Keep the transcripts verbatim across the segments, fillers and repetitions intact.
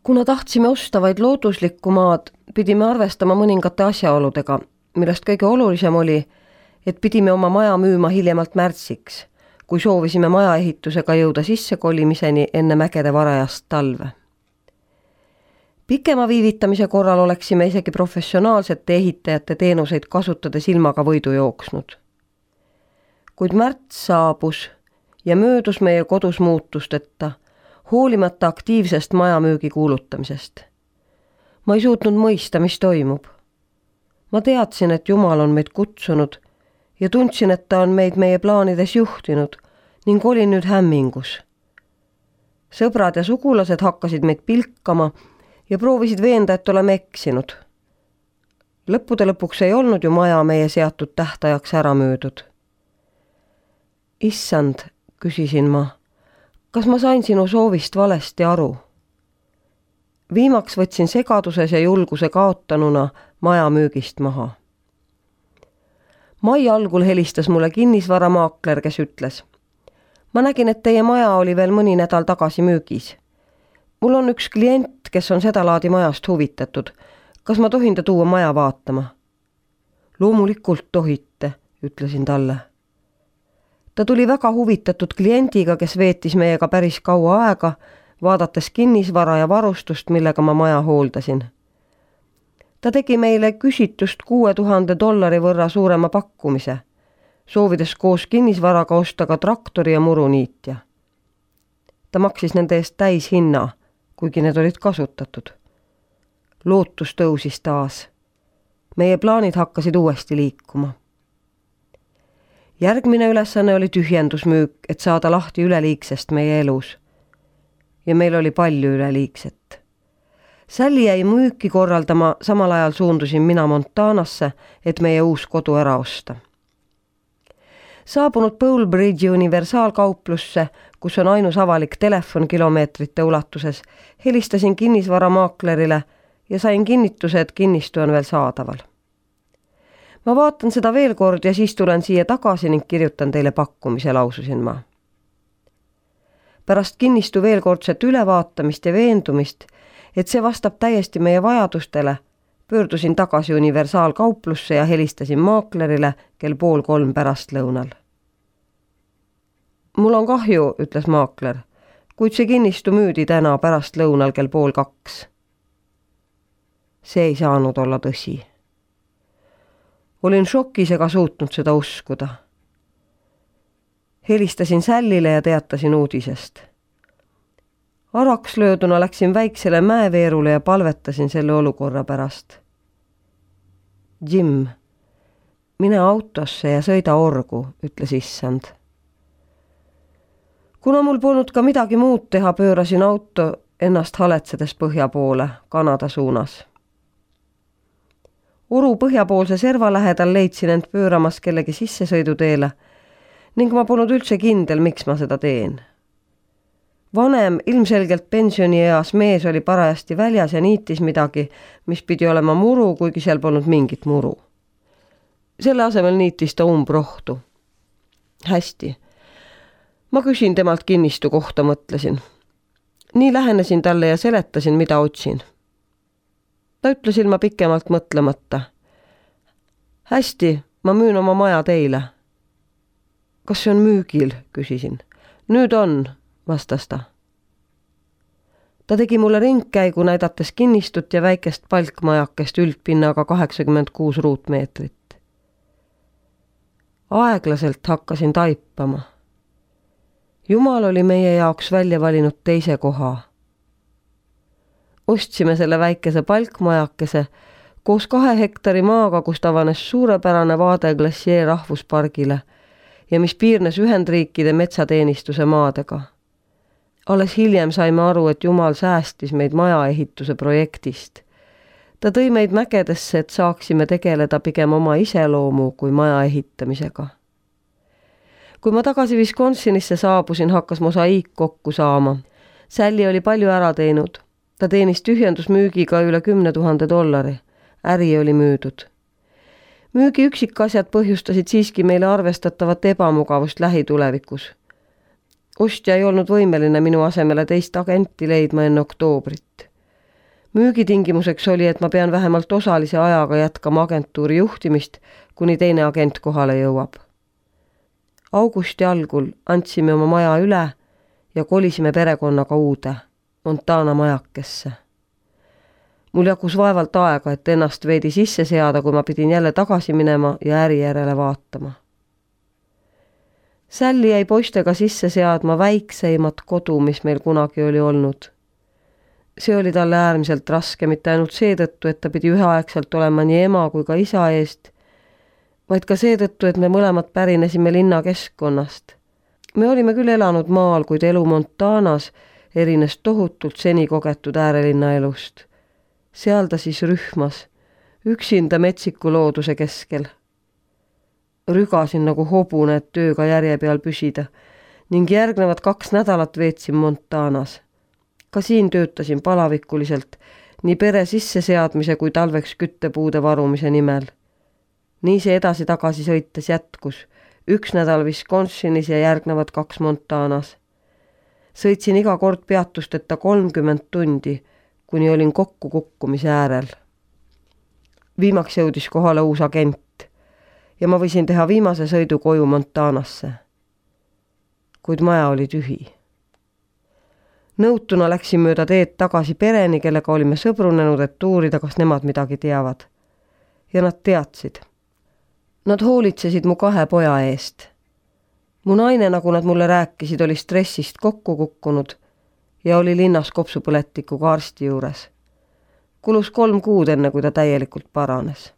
Kuna tahtsime osta vaid looduslikku maad, pidime arvestama mõningate asjaoludega, millest kõige olulisem oli, et pidime oma maja müüma hiljemalt märtsiks, kui soovisime maja ehitusega jõuda sissekolimiseni enne mägede varajast talve. Pikema viivitamise korral oleksime isegi professionaalsete ehitajate teenuseid kasutades ilmaga võidu jooksnud. Kuid märts saabus ja möödus meie kodus muutusteta, hoolimata aktiivsest majamüügi kuulutamisest. Ma ei suutnud mõista, mis toimub. Ma teadsin, et Jumal on meid kutsunud ja tundsin, et ta on meid meie plaanides juhtinud ning olin nüüd hämmingus. Sõbrad ja sugulased hakkasid meid pilkama ja proovisid veenda, et oleme eksinud. Lõppude lõpuks ei olnud ju maja meie seatud tähtajaks ära möödud. Issand, küsisin ma, kas ma sain sinu soovist valesti aru? Viimaks võtsin segaduses ja julguse kaotanuna maja müügist maha. Mai algul helistas mulle kinnisvaramaakler, kes ütles: ma nägin, et teie maja oli veel mõni nädal tagasi müügis. Mul on üks klient, kes on seda laadi majast huvitatud. Kas ma tohin ta tuua maja vaatama? Loomulikult tohite, ütlesin talle. Ta tuli väga huvitatud kliendiga, kes veetis meiega päris kaua aega, vaadates kinnisvara ja varustust, millega ma maja hooldasin. Ta tegi meile küsitust kuue tuhande dollari võrra suurema pakkumise, soovides koos kinnisvaraga osta ka traktori ja muruniitja. Ta maksis nende eest täis hinna, kuigi need olid kasutatud. Lootus tõusis taas. Meie plaanid hakkasid uuesti liikuma. Järgmine ülesanne oli tühjendusmüük, et saada lahti üleliigsest meie elus. Ja meil oli palju üleliigset. Sally jäi müüki korraldama, samal ajal suundusin mina Montanasse, et meie uus kodu ära osta. Saabunud Bowlbridge'i universaalkauplusse, kus on ainus avalik telefon kilomeetrite ulatuses, helistasin kinnisvaramaaklerile ja sain kinnituse, et kinnistu on veel saadaval. Ma vaatan seda veel kord ja siis tulen siia tagasi ning kirjutan teile pakkumise, laususin ma. Pärast kinnistu veel kordset ülevaatamist ja veendumist, et see vastab täiesti meie vajadustele, pöördusin tagasi universaalkauplusse ja helistasin maaklerile kell pool kolm pärast lõunal. Mul on kahju, ütles maakler, kuid see kinnistu müüdi täna pärast lõunal kell pool kaks. See ei saanud olla tõsi. Olin šokis ega suutnud seda uskuda. Helistasin Sallile ja teatasin uudisest. Araks lööduna läksin väiksele mäeveerule ja palvetasin selle olukorra pärast. Jim, mine autosse ja sõida orgu, ütles issand. Kuna mul polnud ka midagi muud teha, pöörasin auto ennast haletsedes põhja poole, Kanada suunas. Oru põhjapoolse serva lähedal leidsin end pööramas kellegi sissesõiduteele ning ma polnud üldse kindel, miks ma seda teen. Vanem, ilmselgelt pensionieas mees oli parajasti väljas ja niitis midagi, mis pidi olema muru, kuigi seal polnud mingit muru. Selle asemel niitis ta umbrohtu. Hästi. Ma küsin temalt kinnistu kohta, mõtlesin. Nii lähenesin talle ja seletasin, mida otsin. Ta ütles ilma pikemalt mõtlemata. Hästi, ma müün oma maja teile. Kas see on müügil, küsisin. Nüüd on, vastas ta. Ta tegi mulle ringkäigu, näidates kinnistut ja väikest palkmajakest üldpinnaga kaheksakümmend kuus ruutmeetrit. Aeglaselt hakkasin taipama. Jumal oli meie jaoks välja valinud teise koha. Ostsime selle väikese palkmajakese koos kahe hektari maaga, kus avanes suurepärane vaade Glacier rahvuspargile ja mis piirnes Ühendriikide metsateenistuse maadega. Alles hiljem saime aru, et Jumal säästis meid majaehituse projektist. Ta tõi meid mägedesse, et saaksime tegeleda pigem oma iseloomu kui maja ehitamisega. Kui ma tagasi Wisconsinisse saabusin, hakkas mosaiik kokku saama. Sally oli palju ära teinud. Ta teenis tühjendusmüügiga üle kümne tuhande dollari. Äri oli müüdud. Müügi üksikasjad põhjustasid siiski meile arvestatavat ebamugavust lähitulevikus. Ostja ei olnud võimeline minu asemele teist agenti leidma enne oktoobrit. Müügitingimuseks oli, et ma pean vähemalt osalise ajaga jätkama agentuuri juhtimist, kuni teine agent kohale jõuab. Augusti algul andsime oma maja üle ja kolisime perekonnaga uude, Montana majakesse. Mul jagus vaevalt aega, et ennast veidi sisse seada, kui ma pidin jälle tagasi minema ja äri järele vaatama. Sälli jäi poistega sisse seadma väikseimat kodu, mis meil kunagi oli olnud. See oli talle äärmiselt raske, mitte ainult seetõttu, et ta pidi üheaegselt olema nii ema kui ka isa eest, vaid ka seetõttu, et me mõlemad pärinesime linna keskkonnast. Me olime küll elanud maal, kuid elu Montanas erines tohutult seni kogetud äärelinna elust. Seal ta siis rühmas, üksinda metsiku looduse keskel. Rügasin nagu hobune, et tööga järje peal püsida ning järgnevad kaks nädalat veetsin Montanas. Ka siin töötasin palavikuliselt nii pere sisseseadmise kui talveks küttepuude varumise nimel. Nii see edasi-tagasi sõites jätkus, üks nädal Wisconsinis ja järgnevad kaks Montanas. Sõitsin iga kord peatusteta kolmkümmend tundi, kuni olin kokku kukkumise äärel. Viimaks jõudis kohale uus agent ja ma võisin teha viimase sõidu koju Montanasse. Kuid maja oli tühi. Nõutuna läksin mööda teed tagasi pereni, kellega olime sõbrunenud, et uurida, kas nemad midagi teavad. Ja nad teadsid. Nad hoolitsesid mu kahe poja eest. Mu naine, nagu nad mulle rääkisid, oli stressist kokku kukkunud ja oli linnas kopsupõletikuga arsti juures. Kulus kolm kuud enne, kui ta täielikult paranes.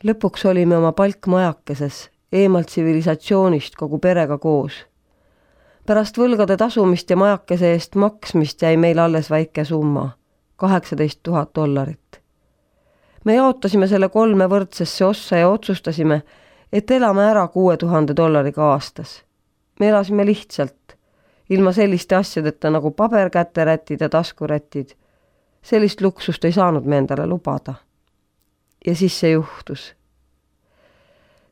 Lõpuks olime oma palkmajakeses, eemalt tsivilisatsioonist kogu perega koos. Pärast võlgade tasumist ja majakese eest maksmist jäi meil alles väike summa, kaheksateist tuhat dollarit. Me jaotasime selle kolme võrdsesse ossa ja otsustasime, et elame ära kuue tuhande dollariga aastas. Me elasime lihtsalt, ilma selliste asjadeta nagu paberkäterätid ja taskurätid. Sellist luksust ei saanud me endale lubada. Ja siis see juhtus.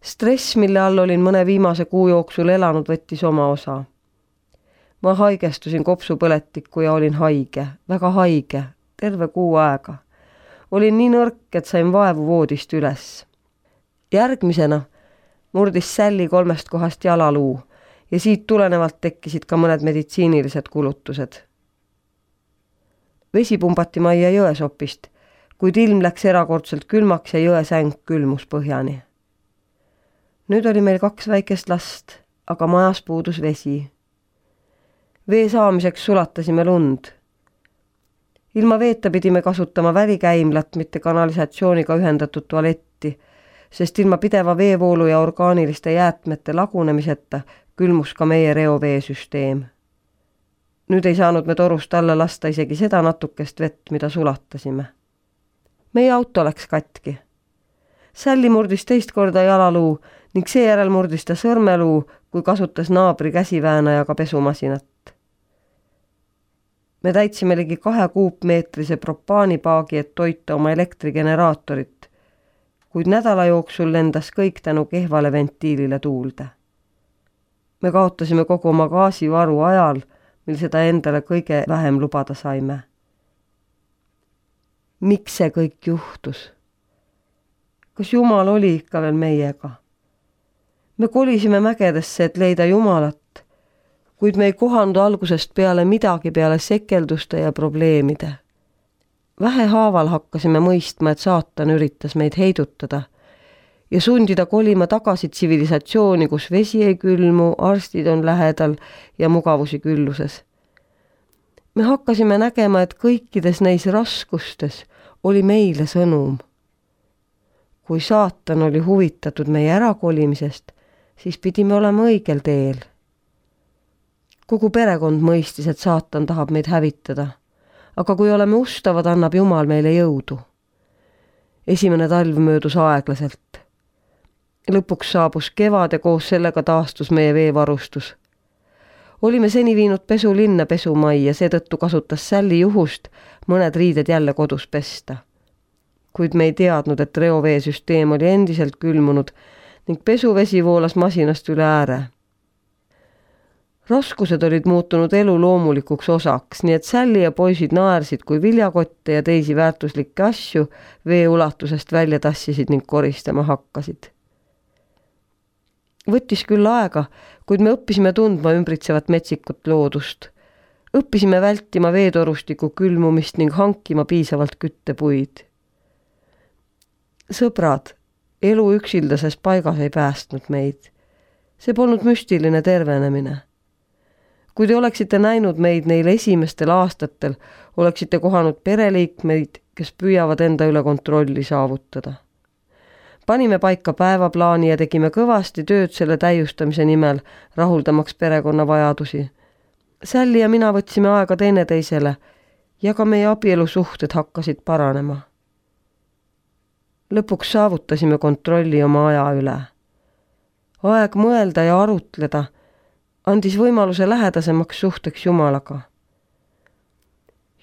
Stress, mille all olin mõne viimase kuu jooksul elanud, võttis oma osa. Ma haigestusin kopsupõletikku ja olin haige, väga haige, terve kuu aega. Olin nii nõrk, et sain vaevu voodist üles. Järgmisena murdis Sälli kolmest kohast jalaluu ja siit tulenevalt tekkisid ka mõned meditsiinilised kulutused. Vesi pumbati majja jõesopist, kuid ilm läks erakordselt külmaks ja jõesäng külmus põhjani. Nüüd oli meil kaks väikest last, aga majas puudus vesi. Vee saamiseks sulatasime lund. Ilma veeta pidime kasutama välikäimlat, mitte kanalisatsiooniga ühendatud tualetti, sest ilma pideva veevoolu ja orgaaniliste jäätmete lagunemiseta külmus ka meie reoveesüsteem. Nüüd ei saanud me torust alla lasta isegi seda natukest vett, mida sulatasime. Meie auto läks katki. Sälli murdis teist korda jalaluu ning seejärel murdis ta sõrmeluu, kui kasutas naabri käsiväänajaga pesumasinat. Me täitsime ligi kahe kuupmeetrise propaanipaagi, et toita oma elektrigeneraatorit, kuid nädala jooksul lendas kõik tänu kehvale ventiilile tuulde. Me kaotasime kogu oma gaasivaru ajal, mil seda endale kõige vähem lubada saime. Miks see kõik juhtus? Kas Jumal oli ikka veel meiega? Me kolisime mägedesse, et leida Jumalat, kuid me ei kohandu algusest peale midagi peale sekelduste ja probleemide. Vähehaaval hakkasime mõistma, et saatan üritas meid heidutada ja sundida kolima tagasi tsivilisatsiooni, kus vesi ei külmu, arstid on lähedal ja mugavusi külluses. Me hakkasime nägema, et kõikides neis raskustes oli meile sõnum. Kui saatan oli huvitatud meie ärakolimisest, siis pidime olema õigel teel. Kogu perekond mõistis, et saatan tahab meid hävitada, aga kui oleme ustavad, annab Jumal meile jõudu. Esimene talv möödus aeglaselt. Lõpuks saabus kevad ja koos sellega taastus meie veevarustus. Olime seni viinud pesu linna pesumai ja seetõttu kasutas Sälli juhust mõned riided jälle kodus pesta. Kuid me ei teadnud, et reoveesüsteem oli endiselt külmunud ning pesuvesi voolas masinast üle ääre. Raskused olid muutunud elu loomulikuks osaks, nii et Sally ja poisid naersid, kui viljakotte ja teisi väärtuslikke asju vee ulatusest välja tassisid ning koristama hakkasid. Võttis küll aega, kuid me õppisime tundma ümbritsevat metsikut loodust. Õppisime vältima veetorustiku külmumist ning hankima piisavalt küttepuid. Sõbrad, elu üksildases paigas ei päästnud meid. See polnud müstiline tervenemine. Kui te oleksite näinud meid neil esimestel aastatel, oleksite kohanud pereliikmeid, kes püüavad enda üle kontrolli saavutada. Panime paika päevaplaani ja tegime kõvasti tööd selle täiustamise nimel, rahuldamaks perekonna vajadusi. Sally ja mina võtsime aega teineteisele ja ka meie abielusuhted hakkasid paranema. Lõpuks saavutasime kontrolli oma aja üle. Aeg mõelda ja arutleda andis võimaluse lähedasemaks suhteks Jumalaga.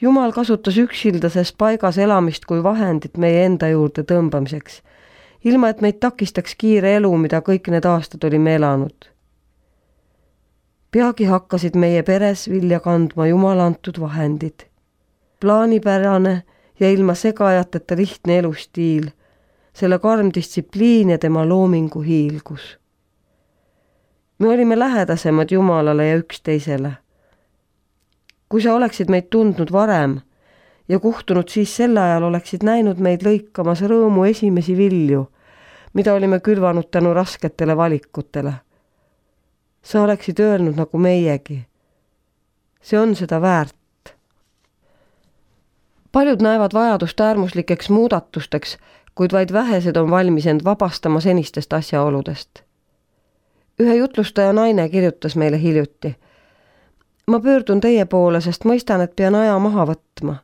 Jumal kasutas üksildases paigas elamist kui vahendit meie enda juurde tõmbamiseks, ilma et meid takistaks kiire elu, mida kõik need aastad olime elanud. Peagi hakkasid meie peres vilja kandma Jumala antud vahendid. Plaanipärane ja ilma segajateta lihtne elustiil, selle karm distsipliin ja tema loomingu hiilgus. Me olime lähedasemad Jumalale ja üksteisele. Kui sa oleksid meid tundnud varem ja kuhtunud siis sel ajal, oleksid näinud meid lõikamas rõõmu esimesi vilju, mida olime külvanud tänu rasketele valikutele. Sa oleksid öelnud nagu meiegi. See on seda väärt. Paljud näevad vajadust äärmuslikeks muudatusteks, kuid vaid vähesed on valmis end vabastama senistest asjaoludest. Ühe jutlustaja naine kirjutas meile hiljuti. Ma pöördun teie poole, sest mõistan, et pean aja maha võtma,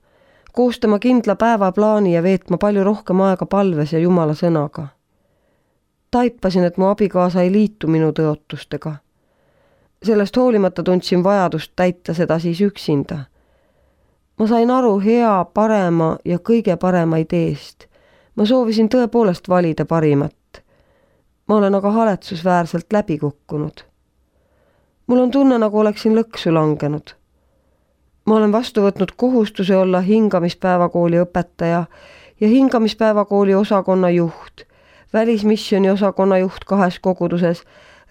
koostama kindla päevaplaani ja veetma palju rohkem aega palves ja Jumala sõnaga. Taipasin, et mu abikaasa ei liitu minu tõotustega. Sellest hoolimata tundsin vajadust täita seda siis üksinda. Ma sain aru hea, parema ja kõige parema ideest. Ma soovisin tõepoolest valida parimat. Ma olen aga haletsusväärselt läbi kukkunud. Mul on tunne, nagu oleksin lõksu langenud. Ma olen vastu võtnud kohustuse olla hingamispäevakooli õpetaja ja hingamispäevakooli osakonna juht, välismissiooni osakonna juht kahes koguduses,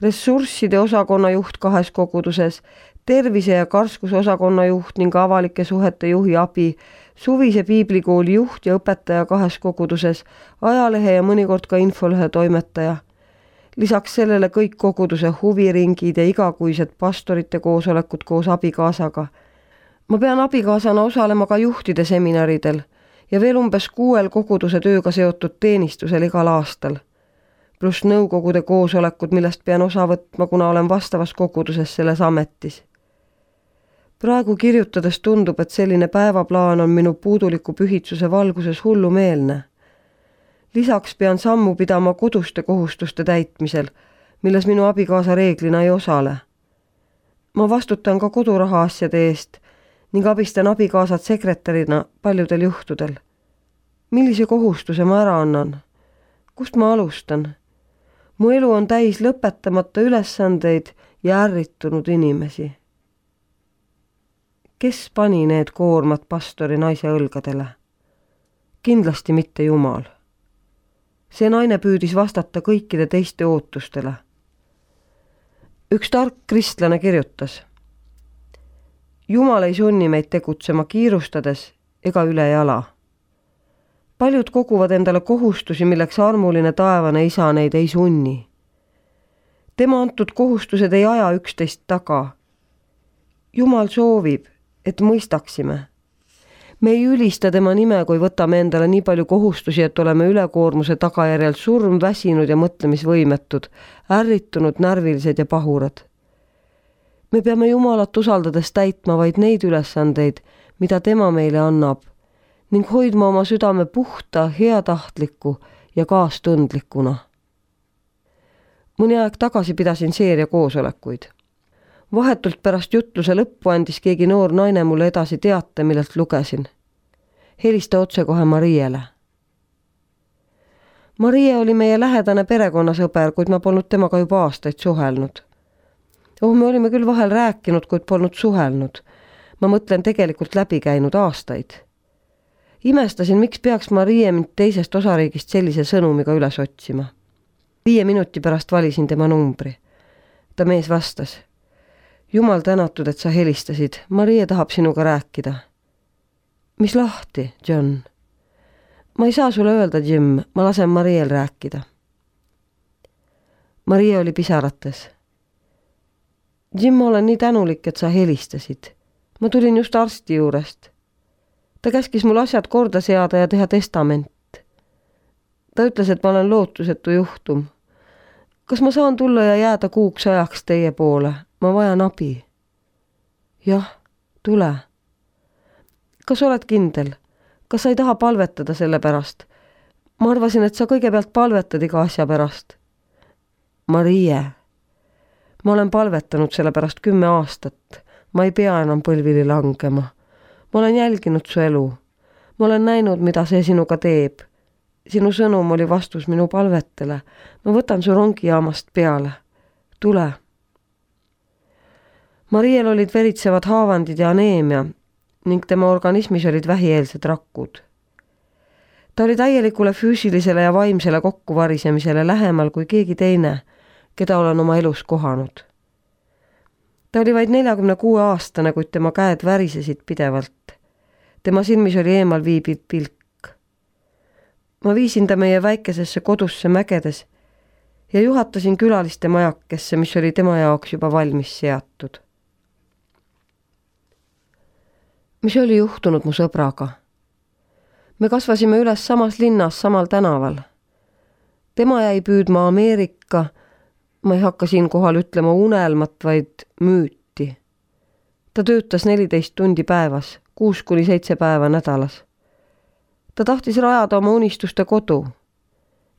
ressursside osakonna juht kahes koguduses, tervise- ja karskuse osakonna juht ning avalike suhete juhi abi, suvise piiblikooli juht ja õpetaja kahes koguduses, ajalehe ja mõnikord ka infolehe toimetaja. Lisaks sellele kõik koguduse huviringid ja igakuised pastorite koosolekud koos abikaasaga. Ma pean abikaasana osalema ka juhtide seminaridel ja veel umbes kuuel koguduse tööga seotud teenistusel igal aastal. Pluss nõukogude koosolekud, millest pean osa võtma, kuna olen vastavas koguduses selles ametis. Praegu kirjutades tundub, et selline päevaplaan on minu puuduliku pühitsuse valguses hullumeelne. Lisaks pean sammu pidama koduste kohustuste täitmisel, milles minu abikaasa reeglina ei osale. Ma vastutan ka koduraha asjade eest ning abistan abikaasat sekretärina paljudel juhtudel. Millise kohustuse ma ära annan? Kust ma alustan? Mu elu on täis lõpetamata ülesandeid ja ärritunud inimesi. Kes pani need koormad pastori naise õlgadele? Kindlasti mitte Jumal. See naine püüdis vastata kõikide teiste ootustele. Üks tark kristlane kirjutas. Jumal ei sunni meid tegutsema kiirustades ega üle jala. Paljud koguvad endale kohustusi, milleks armuline taevane isa neid ei sunni. Tema antud kohustused ei aja üksteist taga. Jumal soovib, et mõistaksime. Me ei ülista tema nime, kui võtame endale nii palju kohustusi, et oleme ülekoormuse tagajärjel surm, väsinud ja mõtlemisvõimetud, ärritunud, närvilised ja pahurad. Me peame Jumalat usaldades täitma vaid neid ülesandeid, mida tema meile annab, ning hoidma oma südame puhta, heatahtliku ja kaastundlikuna. Mõni aeg tagasi pidasin seeria koosolekuid. Vahetult pärast jutluse lõppu andis keegi noor naine mulle edasi teate, millelt lugesin. Helista otsekohe Mariele. Marie oli meie lähedane perekonnasõber, kuid ma polnud temaga juba aastaid suhelnud. Oh, me olime küll vahel rääkinud, kuid polnud suhelnud. Ma mõtlen tegelikult läbi käinud aastaid. Imestasin, miks peaks Marie mind teisest osariigist sellise sõnumiga üles otsima. Viie minuti pärast valisin tema numbri. Ta mees vastas. Jumal tänatud, et sa helistasid. Marie tahab sinuga rääkida. Mis lahti, John? Ma ei saa sulle öelda, Jim. Ma lasen Mariel rääkida. Marie oli pisarates. Jim, ma olen nii tänulik, et sa helistasid. Ma tulin just arsti juurest. Ta käskis mul asjad korda seada ja teha testament. Ta ütles, et ma olen lootusetu juhtum. Kas ma saan tulla ja jääda kuuks ajaks teie poole? Ma vajan abi. Jah, tule. Kas oled kindel? Kas sa ei taha palvetada selle pärast? Ma arvasin, et sa kõigepealt palvetad iga asja pärast. Marie, ma olen palvetanud selle pärast kümme aastat. Ma ei pea enam põlvili langema. Ma olen jälginud su elu. Ma olen näinud, mida see sinuga teeb. Sinu sõnum oli vastus minu palvetele. Ma võtan su rongijaamast peale. Tule. Mariel olid veritsevad haavandid ja aneemia ning tema organismis olid vähieelsed rakud. Ta oli täielikule füüsilisele ja vaimsele kokkuvarisemisele lähemal kui keegi teine, keda olen oma elus kohanud. Ta oli vaid neljakümne kuue aastane, kuid tema käed värisesid pidevalt. Tema silmis oli eemal viibiv pilk. Ma viisin ta meie väikesesse kodusse mägedes ja juhatasin külaliste majakesse, mis oli tema jaoks juba valmis seatud. Mis oli juhtunud mu sõbraga? Me kasvasime üles samas linnas, samal tänaval. Tema jäi püüdma Ameerika, ma ei hakka siin kohal ütlema unelmat, vaid müüti. Ta töötas neliteist tundi päevas, kuus kuni seitse päeva nädalas. Ta tahtis rajada oma unistuste kodu.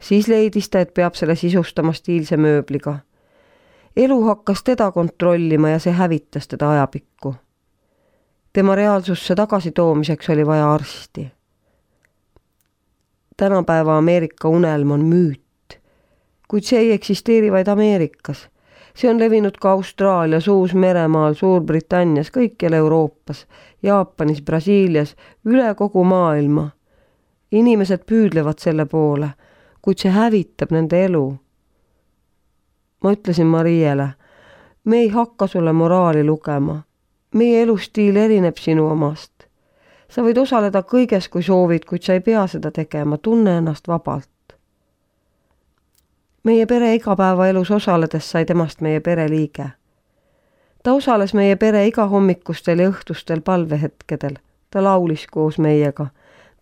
Siis leidis ta, et peab selle sisustama stiilse mööbliga. Elu hakkas teda kontrollima ja see hävitas teda ajapikku. Tema reaalsusse tagasitoomiseks oli vaja arsti. Tänapäeva Ameerika unelm on müüt, kuid see ei eksisteeri vaid Ameerikas. See on levinud ka Austraalias, Uus-Meremaal, Suurbritannias, kõikjal Euroopas, Jaapanis, Brasiilias, üle kogu maailma. Inimesed püüdlevad selle poole, kuid see hävitab nende elu. Ma ütlesin Mariele, me ei hakka sulle moraali lugema. Meie elustiil erineb sinu omast. Sa võid osaleda kõiges, kui soovid, kuid sa ei pea seda tegema. Tunne ennast vabalt. Meie pere igapäevaelus osaledes sai temast meie pere liige. Ta osales meie pere iga hommikustel ja õhtustel palvehetkedel. Ta laulis koos meiega.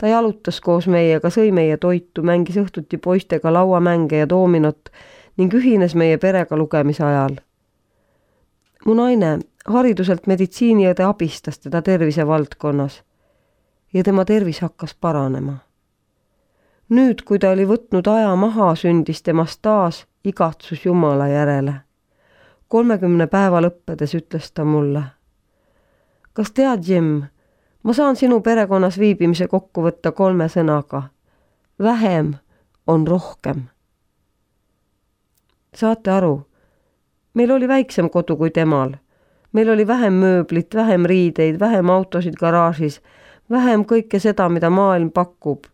Ta jalutas koos meiega, sõi meie toitu, mängis õhtuti poistega lauamänge ja doominot ning ühines meie perega lugemise ajal. Mu naine hariduselt meditsiiniõde abistas teda tervise valdkonnas ja tema tervis hakkas paranema. Nüüd, kui ta oli võtnud aja maha, sündis temast taas igatsus Jumala järele. kolmekümne päeva lõppedes ütles ta mulle. Kas tead, Jim, ma saan sinu perekonnas viibimise kokku võtta kolme sõnaga. Vähem on rohkem. Saate aru? Meil oli väiksem kodu kui temal. Meil oli vähem mööblit, vähem riideid, vähem autosid garaažis, vähem kõike seda, mida maailm pakub.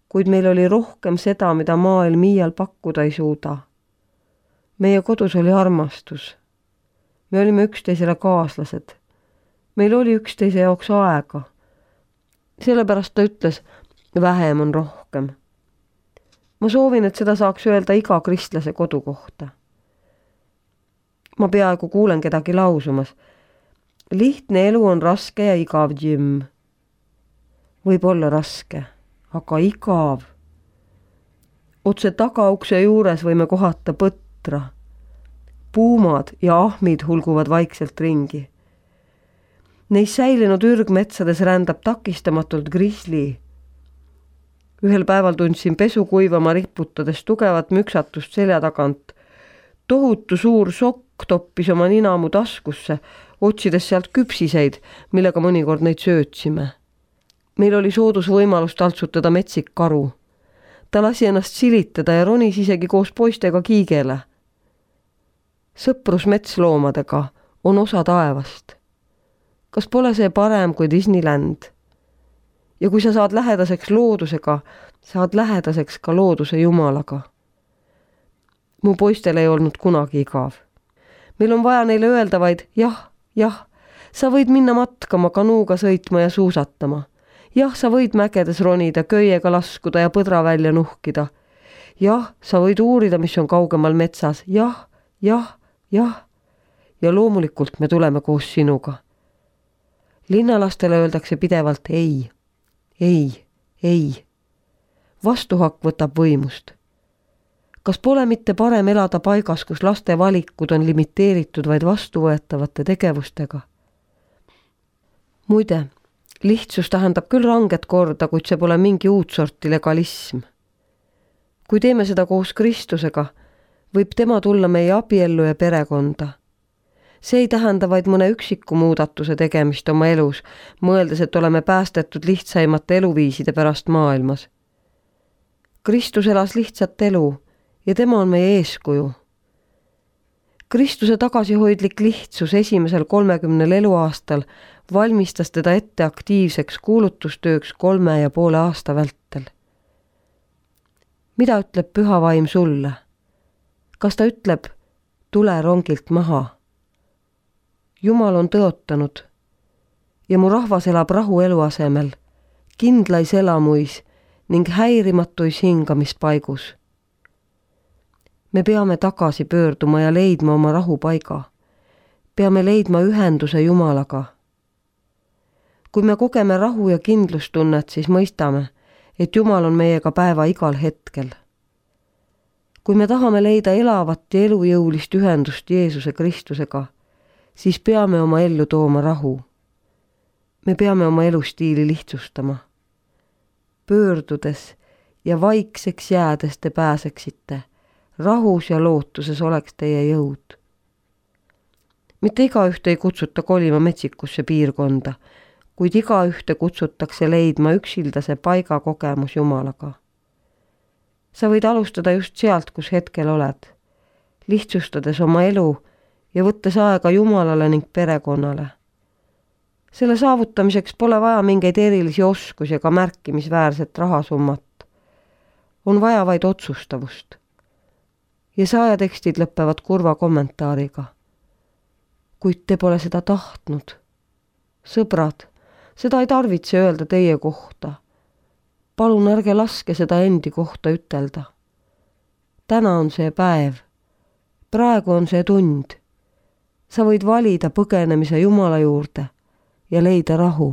Kuid meil oli rohkem seda, mida maailm iial pakkuda ei suuda. Meie kodus oli armastus. Me olime üksteisele kaaslased. Meil oli üksteise jaoks aega. Sellepärast ta ütles, vähem on rohkem. Ma soovin, et seda saaks öelda iga kristlase kodu kohta. Ma peaaegu kuulen kedagi lausumas. Lihtne elu on raske ja igav, Jim. Võib olla raske, aga igav. Otse tagaukse juures võime kohata põtra. Puumad ja ahmid hulguvad vaikselt ringi. Neis säilinud ürgmetsades rändab takistamatult grisli. Ühel päeval tundsin pesu kuivama riputades tugevat müksatust selja tagant. Tohutu suur sokk toppis oma nina mu taskusse, otsides sealt küpsiseid, millega mõnikord neid söötsime. Meil oli soodus võimalus taltsutada metsik karu. Ta lasi ennast silitada ja ronis isegi koos poistega kiigele. sõprus metsloomadega on osa taevast. Kas pole see parem kui Disneyland? Ja kui sa saad lähedaseks loodusega, saad lähedaseks ka looduse jumalaga. Mu poistel ei olnud kunagi igav. Meil on vaja neile öelda vaid jah, jah, sa võid minna matkama, kanuuga sõitma ja suusatama. Jah, sa võid mägedes ronida, köiega laskuda ja põdra välja nuhkida. Jah, sa võid uurida, mis on kaugemal metsas. Jah, jah, jah. Ja loomulikult me tuleme koos sinuga. Linnalastele öeldakse pidevalt ei, ei, ei. Vastuhakk võtab võimust. Kas pole mitte parem elada paigas, kus laste valikud on limiteeritud vaid vastuvõetavate tegevustega? Muide, lihtsus tähendab küll ranget korda, kuid see pole mingi uut sorti legalism. Kui teeme seda koos Kristusega, võib tema tulla meie abiellu ja perekonda. See ei tähenda vaid mõne üksiku muudatuse tegemist oma elus, mõeldes, et oleme päästetud lihtsaimate eluviiside pärast maailmas. Kristus elas lihtsat elu ja tema on meie eeskuju. Kristuse tagasihoidlik lihtsus esimesel kolmekümnel eluaastal valmistas teda ette aktiivseks kuulutustööks kolme ja poole aasta vältel. Mida ütleb püha vaim sulle? Kas ta ütleb, tule rongilt maha? Jumal on tõotanud ja mu rahvas elab rahu eluasemel, kindlais elamuis ning häirimatuis hingamispaigus. Me peame tagasi pöörduma ja leidma oma rahupaiga. Peame leidma ühenduse Jumalaga. Kui me kogeme rahu ja kindlustunnet, siis mõistame, et Jumal on meiega päeva igal hetkel. Kui me tahame leida elavat ja elujõulist ühendust Jeesuse Kristusega, siis peame oma ellu tooma rahu. Me peame oma elustiili lihtsustama. Pöördudes ja vaikseks jäädes te pääseksite, rahus ja lootuses oleks teie jõud. Mitte igaühte ei kutsuta kolima metsikusse piirkonda, kuid igaühte kutsutakse leidma üksildase paiga kogemus Jumalaga. Sa võid alustada just sealt, kus hetkel oled, lihtsustades oma elu ja võttes aega Jumalale ning perekonnale. Selle saavutamiseks pole vaja mingeid erilisi oskusi ega märkimisväärset rahasummat. On vaja vaid otsustavust. Ja saajatekstid lõppevad kurva kommentaariga. Kuid te pole seda tahtnud. Sõbrad, seda ei tarvitse öelda teie kohta. Palun ärge laske seda endi kohta ütelda. Täna on see päev. Praegu on see tund. Sa võid valida põgenemise Jumala juurde ja leida rahu.